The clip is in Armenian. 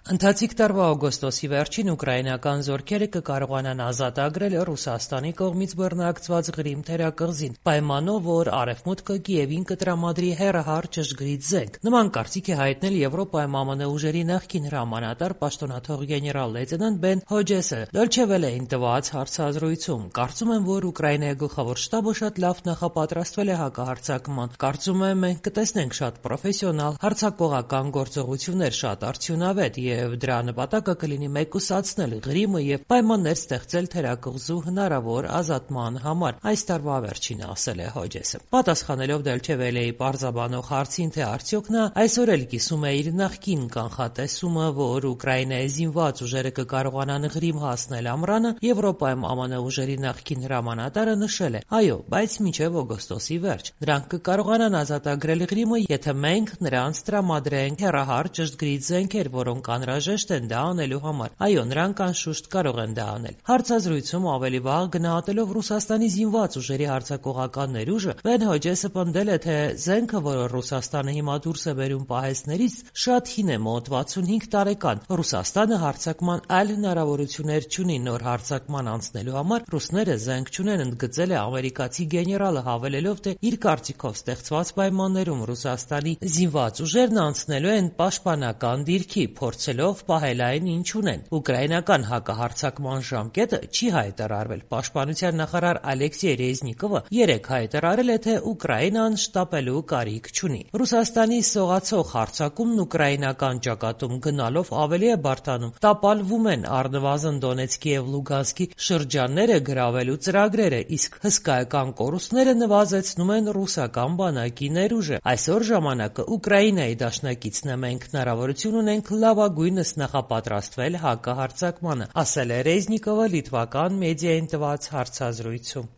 Ընթացիկ տարվա օգոստոսի վերջին ուկրաինական զորքերը կկարողանան ազատագրել Ռուսաստանի կողմից բռնարկված Ղրիմ թերակղզին, պայմանով, որ Արևմուտքը Կիևին կտրամադրի հեռահար ճշգրիտ զենք։ Նման կարծիք է հայտնել Եվրոպայում ԱՄՆ ուժերի նախկին հրամանատար պաշտոնաթող գեներալ-լեյտենանտ Բեն Հոջեսը Դոյչե Վելեին տված հարցազրույցում։ Կարծում եմ, որ Ուկրաինայի գլխավոր շտաբը շատ լավ նախապատրաստվել է հակահարձակման։ Կարծում եմ, մենք կտեսնենք շատ պրոֆեսիոնալ հարձակողական գործողություններ, շատ արդյունավետ, եւ դրա նպատակը կլինի մեկուսացնել Ղրիմը եւ պայմաններ ստեղծել թերակղզու հնարավոր ազատման համար, այս տարվա վերջինը ասել է Հոջեսը։ Պատասխանելով Դոյչե Վելեի պարզաբանող հարցին, թե արդյոք նա այսօր էլ կիսում է իր նախկին կանխատեսումը, որ Ուկրաինայի զինված ուժերը կկարողանան Ղրիմ հասնել ամռանը, Եվրոպայում ԱՄՆ ուժերի նախկին հրամանատարը նշել է. այո, բայց մինչև օգոստոսի վերջ։ Նրանք կկարողանան ազատագրել Ղրիմը, եթե մենք նրանց տրամադրենք հեռահար ճշգրիտ զենքեր, որոնք անհրաժեշտ են դա անելու համար։ Այո, նրանք անշուշտ կարող են դա անել։ Հարցազրույցում ավելի վաղ գնահատելով Ռուսաստանի զինված ուժերի հարձակողական ներուժը, Բեն Հոջեսը պնդել է, թե զենքը, որը Ռուսաստանը հիմա դուրս է բերում պահեստներից, շատ հին է, մոտ 65 տարեկան։ Ռուսաստանը հարձակման այլ հնարավորություններ չունի նոր հարձակման անցնելու համար, ռուսները զենք չունեն, ընդգծել է ամերիկացի գեներալը, հավելելով, թե իր կարծիքով ստեղծված պայմաններում Ռուսաստանի զինված ուժերն անցնելու են պաշտպանական դիրքի, փորձելով պահել այն, ինչ ունեն։ Ուկրաինական հակահարձակման ժամկետը չի հայտարարվել։ Պաշտպանության նախարար Ալեքսեյ Ռեզնիկովը երեկ հայտարարել է, թե Ուկրաինան շտապելու կարիք չունի։ Ռուսաստանի սողացող հարձակումն ուկրաինական ճակատում գնալով ավելի է բարդանում։ Տապալվում են առնվազն Դոնեցկի եւ Լուգանսկի շրջանները գրավելու ծրագրերը, իսկ հսկայական կորուստները նվազեցնում են ռուսական բանակի ներուժը։ Այսօր ժամանակը Ուկրաինայի դաշնակիցն է, մենք հնարավորություն ունենք լավագույնս նախապատրաստվել հակահարձակմանը, ասել է Ռեզնիկովը լիտվական մեդիային տված հարցազրույցում։